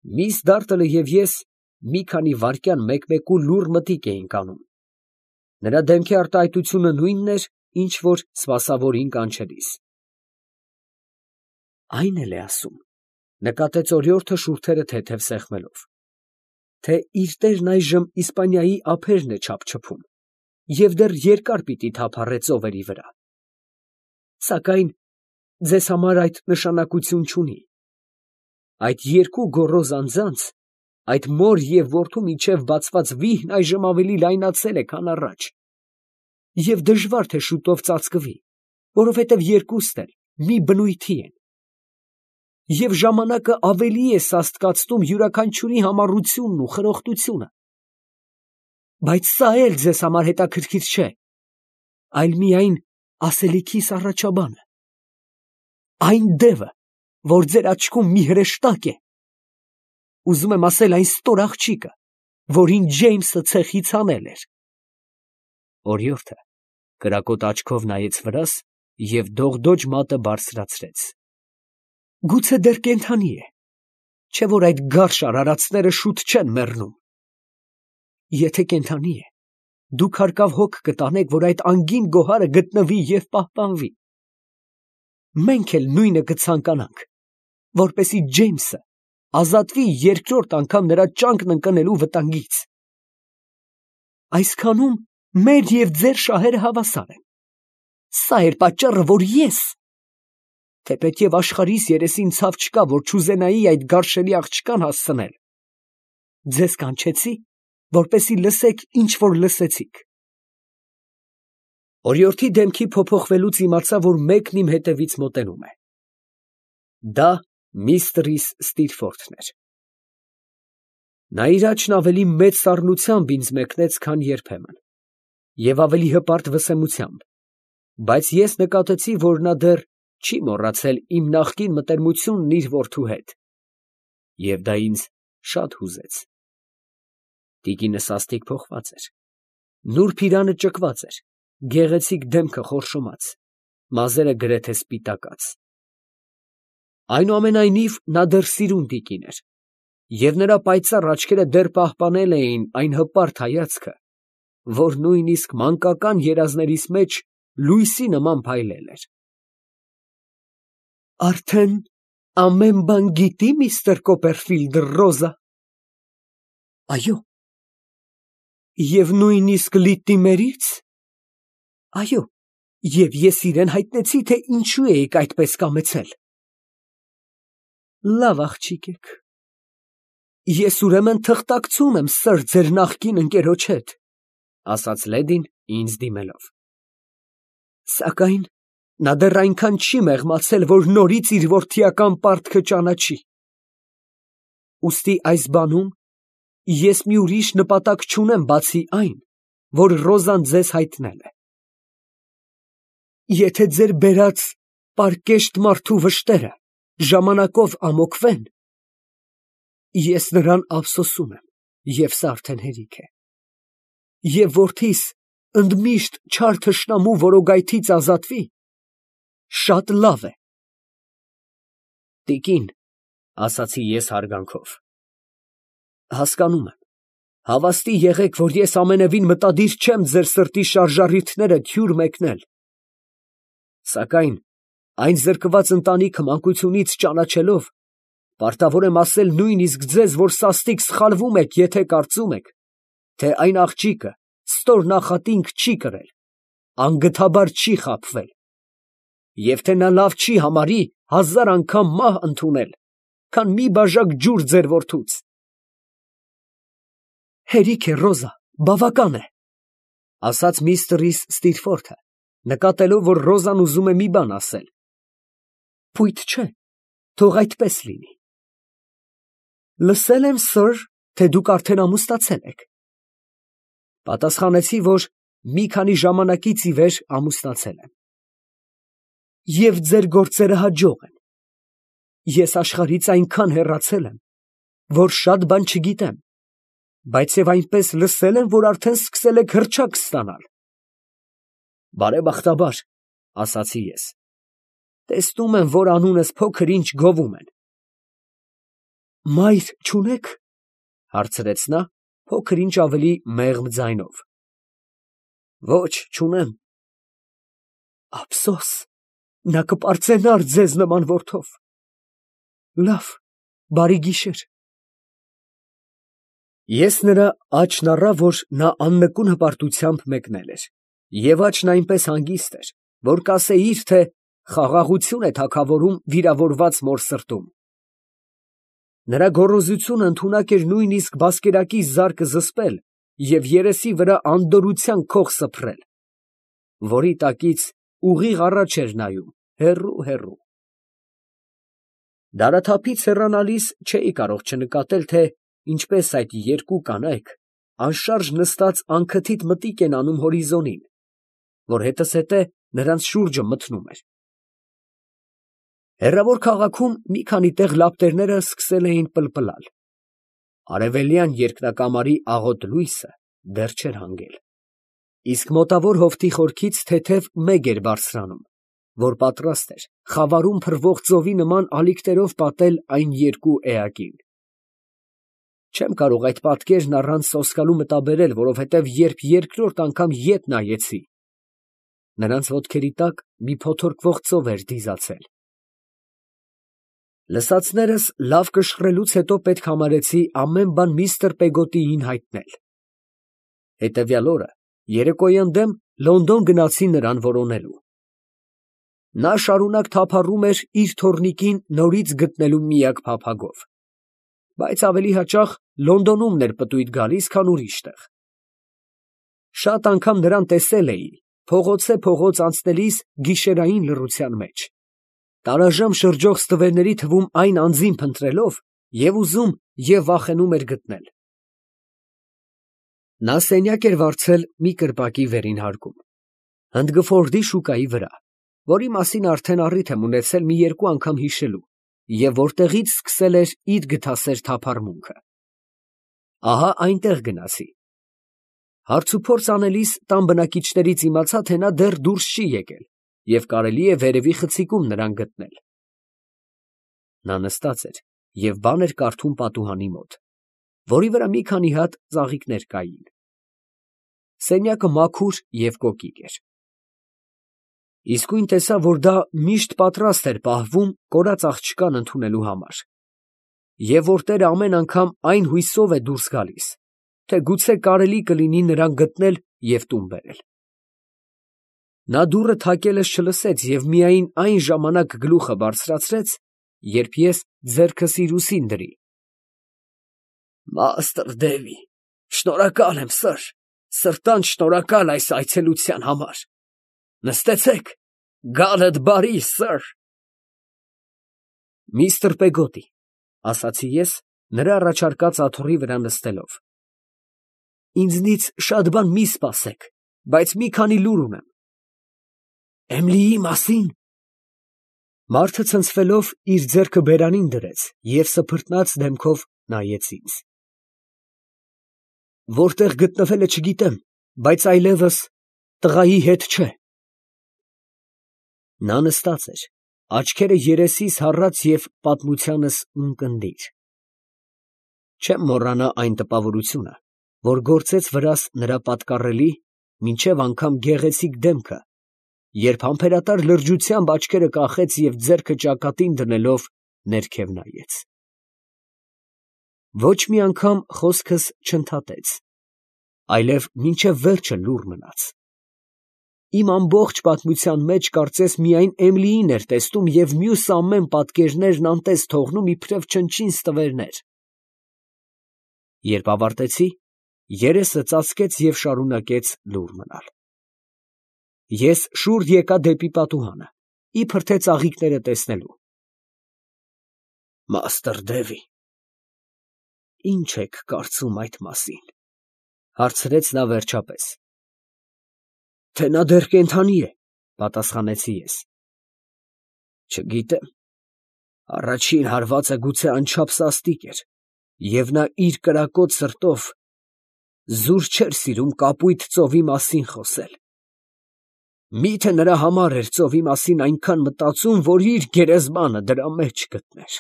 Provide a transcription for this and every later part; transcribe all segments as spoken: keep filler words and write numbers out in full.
Միս Դարտլը և ես մի քանի վայրկյան մեկ֊մեկու լուռ մտիկ էինք անում. նրա դեմքի արտահայտությունը նույնն էր, ինչ որ սպասավորին կանչելիս։ Այն էլ է ասում, նկատեց օրիորդը շուրթերը թեթև սեղմելով, թե իր տերն այժմ Իսպանիայի ափերն է չափչփում և դեռ երկար պիտի թափառե ծովերի վրա, սակայն ձեզ համար այդ նշանակություն չունի. այդ երկու գոռոզ անձանց, այդ մոր և որդու միջև բացված վիհն այժմ ավելի լայնացել է, քան առաջ, և դժվար թե շուտով ծածկվի, որովհետև երկուստ էլ մի բնույթի են, և ժամանակը ավելի է սաստկացնում յուրաքանչյուրի համառությունն ու խրոխտությունը, բայց սա էլ ձեզ համար հետաքրքիր չէ, այլ միայն ասելիքիս առաջաբանը, այն դևը, որ ձեր աչքում մի հրեշտակ է, ուզում եմ ասել այն ստոր աղջիկը, որին Ջեյմսը ցեխից հանել էր։ Օրիորդը կրակոտ աչքով նայեց վրաս և դողդոջ մատը բարձրացրեց։ Գուցե դեռ կենդանի է, չէ՞ որ այդ գարշ արարածները շուտ չեն մեռնում։ Եթե կենդանի է, դուք հարկավ հոգ կտանեք, որ այդ անգին գոհարը գտնվի և պահպանվի։ Մենք էլ նույնը կցանկանանք, որպեսզի Ջեյմսը ազատվի երկրորդ անգամ նրա ճանկն ընկնելու վտանգից։ Այսքանում մեր և ձեր շահերը հավասար են։ Սա էր պատճառը, որ ես, թեպետև աշխարհիս երեսին ցավ չկա, որ չուզենայի այդ գարշելի աղջկան հասցնել, ձեզ կանչեցի, որպեսզի լսեք, ինչ որ լսեցիք։ Օրիորդի դեմքի փոփոխվելուց իմացա, որ մեկն իմ հետևից մոտենում է։ Դա միստրիս Ստիրֆորդն էր։ Նա իր աչքն ավելի մեծ սառնությամբ ինձ մեկնեց, քան երբեմն, և ավելի հպարտ վսեմությամբ, բայց ես նկատեցի, որ նա դեռ չի մոռացել իմ նախկին մտերմությունն իր որդու հետ, և դա ինձ շատ հուզեց։ Տիկինը սաստիկ փոխված էր, նուրբ իրանը ճկված էր, գեղեցիկ դեմքը խորշոմած, մազերը գրեթե սպիտակած։ Այնուամենայնիվ նա դեռ սիրուն տիկին էր, և նրա պայծառ աչքերը դեռ պահպանել էին այն հպարտ հայացքը, որ նույնիսկ մանկական երազներիս մեջ լույսի նման փայլել էր։ Արդեն ամեն բան գիտի՞ միստր Կոպերֆիլդ, Ռոզա։ Այո։ Եվ նույնիսկ Լիտիմերից։ Այո, և ես իրան հայտնեցի, թե ինչու էիք այդպես կամեցել։ Լավ աղջիկ եք։ Ես ուրեմն թղթակցում եմ, սըր, ձեր նախկին ընկերոջ հետ, ասաց լեդին ինձ դիմելով, սակայն նա դեռ այնքան չի մեղմացել, որ նորից իր որդիական պարտքը ճանաչի։ Ուստի այս բանում ես մի ուրիշ նպատակ չունեմ, բացի այն, որ Ռոզան ձեզ հայտնել է։ Եթե ձեր բերած պարկեշտ մարդու վշտերը ժամանակով ամոկվեն, ես նրան ափսոսում եմ, և սա արդեն հերիք է, և որդիս ընդմիշտ չար թշնամու որոգայթից ազատվի, շատ լավ է։ Տիկին, ասացի ես հարգանքով, հասկանում եմ, հավաստի եղեք, որ ես ամենևին մտադիր չեմ ձեր սրտի շարժառիթները թյուր մեկնել, սակայն այն զրկված ընտանիքը մանկությունից ճանաչելով, պարտավոր եմ ասել նույնիսկ ձեզ, որ սաստիկ սխալվում եք, եթե կարծում եք, թե այն աղջիկը ստոր նախատինք չի կրել, անգթաբար չի խաբվել, և թե նա լավ չի համարի հազար անգամ մահ ընդունել, քան մի բաժակ ջուր ձեր որդուց։ Հերիք է, Ռոզա, բավական է, ասաց միստրիս Ստիրֆորդը, նկատելով, որ Ռոզան ուզում է մի բան ասել։ Փույթ չէ, թող այդպես լինի։ Լսել եմ, սըր, թե դուք արդեն ամուսնացել եք։ Պատասխանեցի, որ մի քանի ժամանակից ի վեր ամուսնացել եմ։ Եվ ձեր գործերը հաջող են։ Ես աշխարհից այնքան հեռացել եմ, որ շատ բան չգիտեմ, բայց և այնպես լսել եմ, որ արդեն սկսել եք հռչակ ստանալ։ Բարեբախտաբար, ասացի ես, տեսնում եմ, որ անունս փոքր ինչ գովում են։ մայր չունե՞ք, հարցրեց նա փոքր ինչ ավելի մեղմ ձայնով։ Ոչ, չունեմ։ Ափսոս, նա կպարծենար ձեզ նման որդով։ Լավ, բարի գիշեր։ Ես նրա աչքն առա, որ նա աննկուն հպարտությամբ մեկնել էր, և աչքն այնպես հանգիստ էր, որ կասեիր, թե խաղաղություն է թագավորում վիրավորված մոր սրտում։ Նրա գոռոզությունը ընդունակ էր նույնիսկ բասկերակի զարկը զսպել և երեսի վրա անդորրության քող սփռել, որի տակից ուղիղ առաջ էր նայում, հեռու֊հեռու։ Դարաթափից հեռանալիս չէի կարող չնկատել, թե ինչպես այդ երկու կանայք անշարժ նստած անքթիթ մտիկ են անում հորիզոնին, որ հետզհետե նրանց շուրջը մթնում էր։ Հեռավոր քաղաքում մի քանի տեղ լապտերները սկսել էին պլպլալ. արևելյան երկնակամարի աղոտ լույսը դեռ չէր հանգել, իսկ մոտավոր հովտի խորքից թեթև մեգ էր բարձրանում, որ պատրաստ էր խավարում փռվող ծովի նման ալիքներով պատել այն երկու էակին։ Չեմ կարող այդ պատկերն առանց սոսկալու մտաբերել, որովհետև երբ երկրորդ անգամ ետ նայեցի, նրանց ոտքերի տակ մի փոթորկվող ծով էր դիզացել։ Լսածներս լավ կշռելուց հետո պետք համարեցի ամեն բան միստր Պեգոտիին հայտնել։ Հետևյալ օրը երեկոյան դեմ Լոնդոն գնացի նրան որոնելու։ Նա շարունակ թափառում էր իր թոռնիկին նորից գտնելու միակ փափագով, բայց ավելի հաճախ Լոնդոնում էր պտույտ գալիս, քան ուրիշ տեղ։ Շատ անգամ նրան տեսել էի փողոցե փողոց անցնելիս գիշերային լռության մեջ, տարաժամ շրջող ստվերների թվում այն անձին փնտրելով և ուզում և վախենում էր գտնել։ Նա սենյակ էր վարձել մի կրպակի վերին հարկում, Հնդգֆորդի շուկայի վրա, որի մասին արդեն առիթ եմ ունեցել մի երկու անգամ հիշելու, և որտեղից սկսել էր իր գթասեր թափառմունքը։ Ահա այնտեղ գնացի։ Հարցուփորձ անելիս տան բնակիչներից իմացա, թե նա դեռ դուրս չի եկել և կարելի է վերևի խցիկում նրան գտնել։ Նա նստած էր և բան էր կարդում պատուհանի մոտ, որի վրա մի քանի հատ ծաղիկներ կային։ Սենյակը մաքուր և կոկիկ էր։ Իսկույն տեսա, որ դա միշտ պատրաստ էր պահվում կորած աղջկան ընդունելու համար, և որ տերը ամեն անգամ այն հույսով է դուրս գալիս, թե գուցե կարելի կլինի նրան գտնել և տուն բերել։ Նա դուռը թակելս չլսեց և միայն այն ժամանակ գլուխը բարձրացրեց, երբ ես ձեռքս իր ուսին դրի։ Մաստր Դևի, շնորհակալ եմ, սըր, սրտանց շնորհակալ այս այցելության համար։ Նստեցեք, գալդ բարի, սըր։ Միստր Պեգոտի, ասացի ես, նրա առաջարկած աթոռի վրա նստելով, ինձնից շատ բան մի սպասեք, բայց մի քանի լուր ունեմ։ Էմիլիի մասին։ Մարդը ցնցվելով իր ձեռքը բերանին դրեց և սփռտնած դեմքով նայեց ինձ։ Որտեղ գտնվել է չգիտեմ, բայց այլևս տղայի հետ չէ։ Նա նստած էր, աչքերը երեսիս հառած և պատմությանս ունկնդիր։ Չեմ մոռանա այն տպավորությունը, որ գործեց վրաս նրա պատկառելի, մինչև անգամ գեղեցիկ դեմքը, երբ համբերատար լրջությամբ աչքերը կախեց և ձեռքը ճակատին դնելով ներքև նայեց։ Ոչ մի անգամ խոսքս չընդհատեց, այլև մինչև վերջը լուռ մնաց։ Իմ ամբողջ պատմության մեջ կարծես միայն Էմիլիին էր տեսնում և մյուս ամեն պատկերներն անտես թողնում իբրև չնչին ստվերներ։ Երբ ավարտեցի, երեսը ծածկեց և շարունակեց լուռ մնալ։ Ես շուռ եկա դեպի պատուհանը, իբր թե ծաղիկները տեսնելու։ Մաստր Դևի, ի՞նչ եք կարծում այդ մասին, ֊ հարցրեց նա վերջապես։ Թե նա դեռ կենդանի է, ֊ պատասխանեցի ես։ Չգիտեմ, առաջին հարվածը գուցե անչափ սաստիկ էր, և նա իր կրակոտ սրտով զուր չէր սիրում կապույտ ծովի մասին խոսել։ Մի՞թե նրա համար էր ծովի մասին այնքան մտածում, որ իր գերեզմանը դրա մեջ գտներ։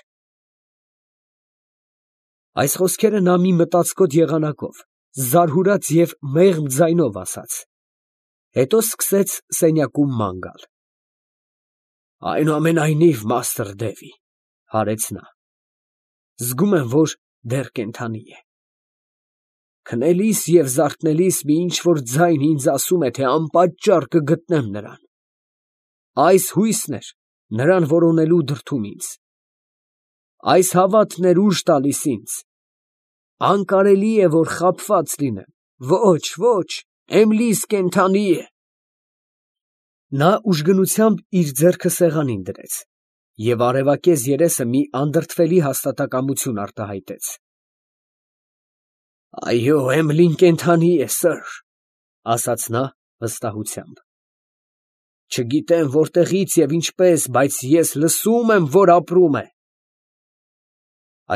Այս խոսքերը նա մի մտածկոտ եղանակով, զարհուրած և մեղմ ձայնով ասաց, հետո սկսեց սենյակում ման գալ։ «Այնուամենայնիվ, Մաստր Դևի, ֊ հարեց նա, ֊ զգում եմ, որ դեռ կենդանի է։ Քնելիս և զարթնելիս մի ինչ֊որ ձայն ինձ ասում է, թե անպատճառ կգտնեմ նրան։ Այս հույսն էր նրան որոնելու դրդում ինձ։ Այս հավատն էր ուժ տալիս ինձ։ Անկարելի է, որ խաբված լինեմ։ Ոչ, ոչ, Էմլիս կենդանի է»։ Նա ուժգնությամբ իր ձեռքը սեղանին դրեց և արևակեզ երեսը մի անդրդվելի հաստատակամություն արտահայտեց։ «Այո, Էմլին կենդանի է, սըր, ֊ ասաց նա վստահությամբ։ Չգիտեմ որտեղից և ինչպես, բայց ես լսում եմ, որ ապրում է»։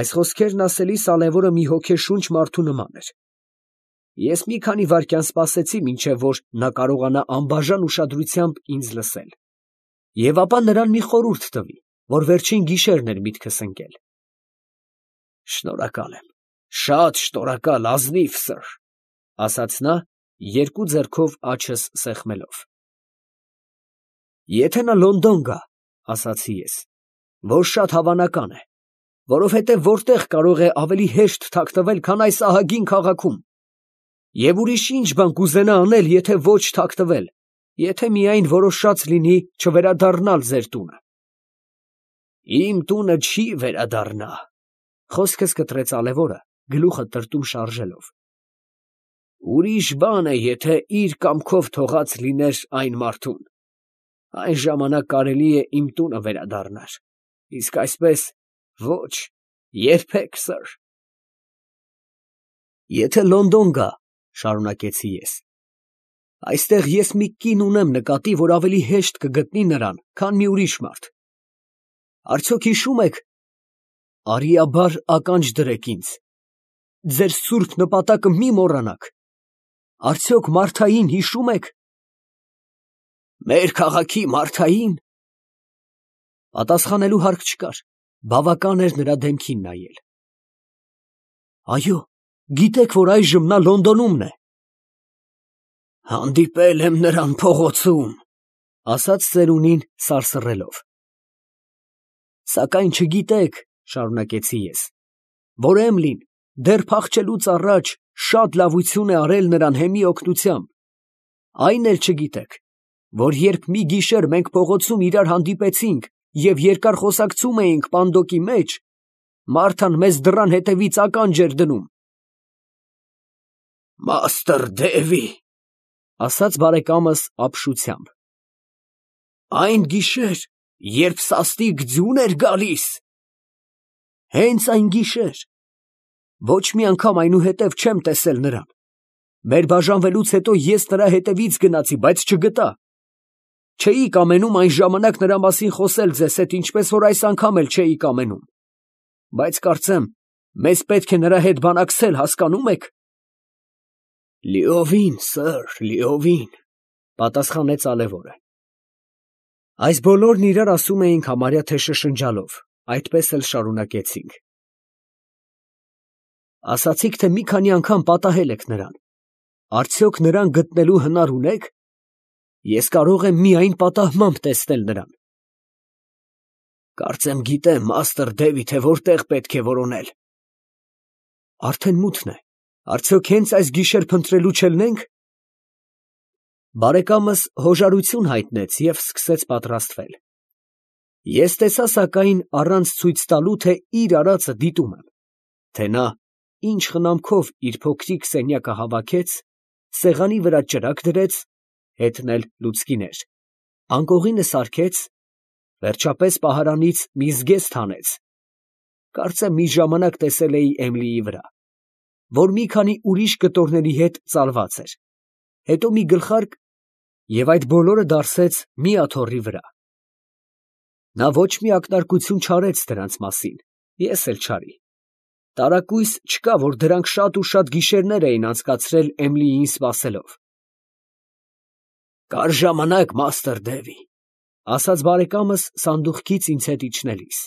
Այս խոսքերն ասելիս ալեւորը մի հոգեշունչ մարդու նման էր։ Ես մի քանի վայրկյան սպասեցի, մինչև որ նա կարողանա անբաժան ուշադրությամբ ինձ լսել, և ապա նրան մի խորհուրդ տվի, որ վերջին գիշերն էր միտքս ընկել։ «Շնորհակալ եմ, շատ շնորհակալ, ազնիվ սըր, ֊ ասաց նա, երկու ձեռքով աջս սեղմելով։ Եթե նա Լոնդոն գա, ֊ ասացի ես, ֊ որ շատ հավանական է, որովհետև որտե՞ղ կարող է ավելի հեշտ թաքնվել, քան այս ահագին քաղաքում, և ուրիշ ի՞նչ բան կուզենա անել, եթե ոչ թաքնվել, եթե միայն որոշած լինի չվերադառնալ ձեր տունը։ ֊ Իմ տունը չի վերադառնա, ֊ խոսքս կտրեց ալեւորը, գլուխը տրտում շարժելով։ ֊ Ուրիշ բան է, եթե իր կամքով թողած լիներ այն մարդուն, այն ժամանակ կարելի է իմ տունը վերադառնար, իսկ այսպես ոչ, երբեք, սըր։ Եթե Լոնդոն գա, ֊ շարունակեցի ես, ֊ այստեղ ես մի կին ունեմ նկատի, որ ավելի հեշտ կգտնի նրան, քան մի ուրիշ մարդ։ Արդյոք հիշում եք, արիաբար ականջ դրեք ինձ, ձեր սուրբ նպատակը մի մոռանաք, արդյոք Մարթային հիշում եք։ ֊ Մեր քաղաքի Մարթայի՞ն։ Պատասխանելու հարկ չկար, բավական էր նրա դեմքին նայել։ Այո, գիտեք, որ այժմ նա Լոնդոնում է։ ֊ Հանդիպել եմ նրան փողոցում, ֊ ասաց ծերունին սարսռելով։ ֊ Սակայն չգիտեք, ֊ շարունակեցի ես, ֊ որ Էմլին դեռ փախչելուց առաջ շատ լավություն է արել նրան հեմի օգնությամբ, այն էլ չգիտեք, որ երբ մի գիշեր մենք փողոցում իրար հանդիպեցինք և երկար խոսակցում էինք պանդոկի մեջ, Մարթան մեզ դռան հետևից ականջ էր դնում։ ֊ Մաստր Դևի, ֊ ասաց բարեկամս ապշությամբ, ֊ այն գիշեր, երբ սաստիկ ձյուն էր գալիս։ ֊ Հենց այն գիշեր։ Ոչ մի անգամ այնուհետև չեմ տեսել նրան։ Մեր բաժանվելուց հետո ես նրա հետևից գնացի, բայց չգտա։ Չէի կամենում այն ժամանակ նրա մասին խոսել ձեզ հետ, ինչպես որ այս անգամ էլ չէի կամենում, բայց կարծեմ, մեզ պետք է նրա հետ բանակցել, հասկանո՞ւմ եք։ ֊ Լիովին, սըր, լիովին, ֊ պատասխանեց ալեւորը։ Այս բոլորն իրար ասում էինք համարյա թե շշնջալով, այդպես էլ շարունակեցինք։ Ասացիք, թե մի քանի անգամ պատահել եք նրան, արդյոք նրան գտնելու հնար ունե՞ք։ Ես կարող եմ միայն պատահմամբ տեսնել նրան։ ֊ Կարծեմ գիտեմ, Մաստր Դևի, թե որտեղ պետք է որոնել։ ֊ Արդեն մութն է, արդյոք հենց այս գիշեր փնտրելու չելնե՞նք։ Բարեկամս հոժարություն հայտնեց և սկսեց պատրաստվել։ Ես տեսա սակայն, առանց ցույց տալու, թե իր արածը դիտում եմ, թե նա ինչ խնամքով իր փոքրիկ սենյակը հավաքեց, սեղանի վրա ճրագ դրեց, հետն էլ լուցկիներ, անկողինը սարքեց, վերջապես պահարանից մի զգեստ հանեց, կարծեմ մի ժամանակ տեսել էի Էմլիի վրա, որ մի քանի ուրիշ կտորների հետ ծալված էր, հետո մի գլխարկ և այդ բոլորը դարսեց մի աթոռի վրա։ Նա ոչ մի ակնարկություն չարեց դրանց մասին, ես էլ չարի։ Տարակույս չկա, որ դրանք շատ ու շատ գիշերներ էին անցկացրել Էմլիին սպասելով։ ֊ Կար ժամանակ, Մաստր Դևի, ֊ ասաց բարեկամս սանդուղքից ինձ հետ իջնելիս,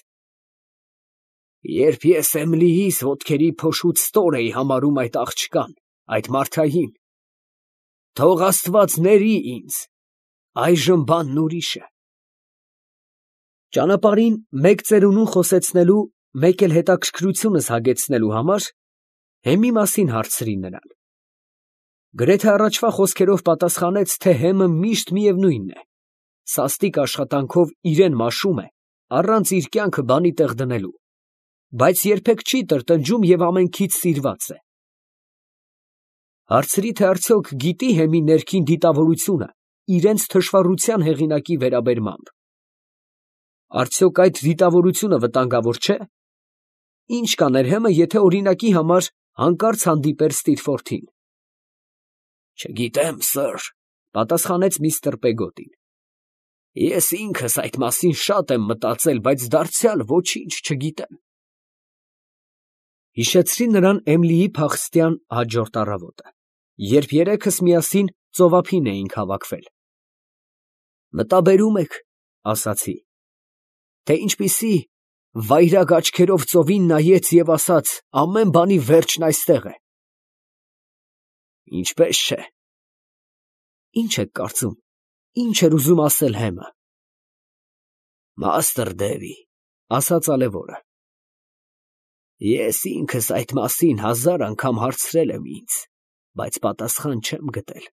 Երբ ես Էմիլիիս ոտքերի փոշուց ստոր էի համարում այդ աղջկան, այդ Մարթային, թող Աստված ների ինձ, այժմ բանն ուրիշ է։ Ճանապարհին մեկ ծերունուն խոսեցնելու, մեկ էլ հետաքրքրությունս հագեցնելու համար Հեմի մասին հարցրի նրան։ Գրեթե առաջվա խոսքերով պատասխանեց, թե Հեմը միշտ միևնույնն է, սաստիկ աշխատանքով իրեն մաշում է, առանց իր կյանքը բանի տեղ դնելու, բայց երբեք չի տրտնջում և ամենքից սիրված է։ Հարցրի, թե արդյոք գիտի Հեմի ներքին դիտավորությունը իրենց թշվառության հեղինակի վերաբերմամբ։ Արդյոք այդ դիտավորությունը վտանգավոր չէ։ Ինչ կաներ Հեմը, եթե օրինակի համար հանկարծ հանդիպեր Ստիլֆորթին։ Չգիտեմ, սըր, պատասխանեց միստր Պեգոտին։ Ես ինքս այդ մասին շատ եմ մտածել, բայց դարձյալ ոչինչ չգիտեմ։ Հիշեցրի նրան Էմիլիի փախստյան հաջորդ առավոտը, երբ երեքս միասին ծովափին էինք հավաքվել։ Մտաբերում եք, ասացի, թե ինչպիսի վայրագ աչքերով ծովին նայեց և ասաց. ամեն բանի վերջն այստեղ է։ Ինչպես չէ։ Ինչ եք կարծում, ինչ էր ուզում ասել Հեմը։ Մաստր Դևի, ասաց ալևորը, ես ինքս այդ մասին հազար անգամ հարցրել եմ ինձ, բայց պատասխան չեմ գտել։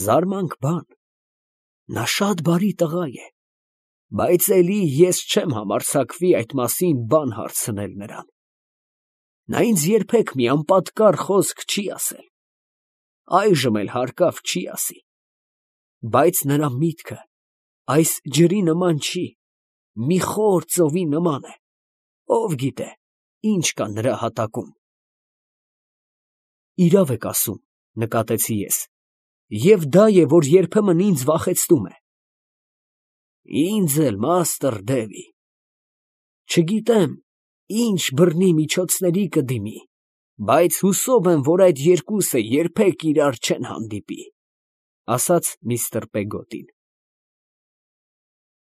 Զարմանք բան, նա շատ բարի տղա է, բայց էլի ես չեմ համարձակվի այդ մասին բան հարցնել նրան։ Նա ինձ երբեք մի անպատկառ խոսք չի ասել, այժմ էլ հարկավ չի ասի, բայց նրա միտքը այս ջրի նման չի, մի խոր ծովի նման է, ով գիտե, ինչ կա նրա հատակում։ Իրավ եք ասում, նկատեցի ես, և դա է, որ երբեմն ինձ վախեցնում է։ Ինձ էլ, մաստր Դևի, չգիտեմ, ինչ բռնի միջոցների կդիմի, բայց հուսով եմ, որ այդ երկուսը երբեք իրար չեն հանդիպի, ասաց միստր Պեգոտին։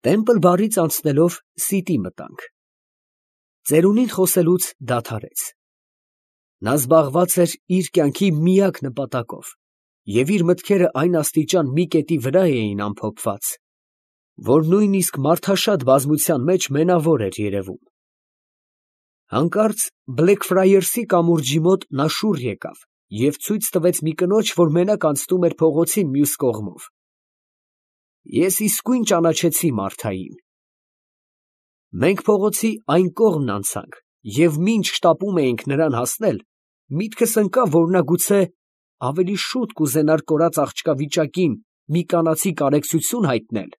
Տեմպլ բարից անցնելով Սիտի մտանք։ Ծերունին խոսելուց դադարեց։ Նա զբաղված էր իր կյանքի միակ նպատակով, և իր մտքերը այն աստիճան մի կետի վրա էին ամփոփված, որ նույնիսկ մարդաշատ բազմության մեջ մենավոր էր երևում։ Հանկարծ Բլեքֆրայերսի կամուրջի մոտ նա շուռ եկավ և ցույց տվեց մի կնոջ, որ մենակ անցնում էր փողոցի մյուս կողմով։ Ես իսկույն ճանաչեցի Մարթային։ Մենք փողոցի այն կողմն անցանք, և մինչ շտապում էինք նրան հասնել, միտքս ընկավ, որ նա գուցե ավելի շուտ կուզենար կորած աղջկա վիճակին մի կանացի կարեկցություն հայտնել,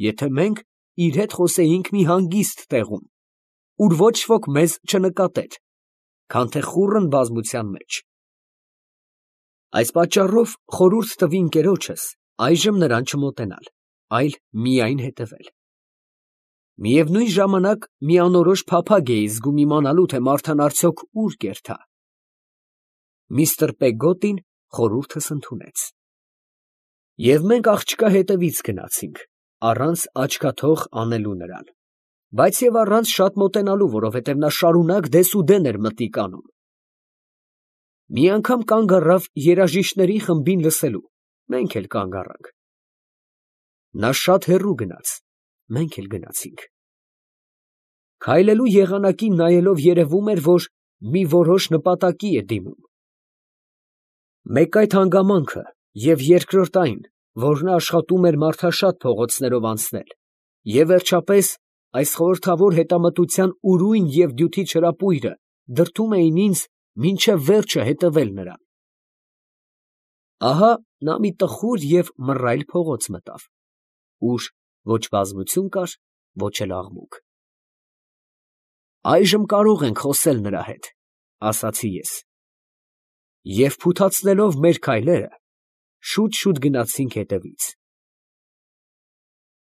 եթե մենք իր հետ խոսեինք մի հանգիստ տեղում, ուր ոչ ոք մեզ չնկատեր, քան թե խուռն բազմության մեջ։ Այս պատճառով խորհուրդ տվի ընկերոջս այժմ նրան չմոտենալ, այլ միայն հետևել։ Միևնույն ժամանակ մի անորոշ փափագ էի զգում իմանալու, թե Մարթան արդյոք ուր կերթա։ Միստր Պեգոտին խորհուրդս ընդունեց։ Եվ մենք աղջկա հետևից գնացինք, առանց աչքաթող անելու նրան, բայց և առանց շատ մոտենալու, որովհետև նա շարունակ դեսուդեն էր մտիկ անում։ Մի անգամ կանգ առավ երաժիշտների խմբին լսելու, մենք էլ կանգ առանք։ Նա շատ հեռու գնաց, մենք էլ գնացինք։ Քայլելու եղանակին նայելով երևում էր, որ մի որոշ նպատակի է դիմում։ Մեկ այդ հանգամանքը և երկրորդ այն, որ նա աշխատում էր մարդաշատ փողոցներով անցնել, և վերջապես այս խորհրդավոր հետամտության ուրույն և դյութի չրապույրը դրդում էին ինձ մինչև վերջը հետևել նրան։ Ահա նա մի տխուր և մռայլ փողոց մտավ, ուր ոչ բազմություն կար, ոչ էլ աղմուկ։ Այժմ կարող ենք խոսել նրա հետ, ասացի ես։ Եվ փութացնելով մեր քայլերը, շուտ֊շուտ գնացինք հետևից։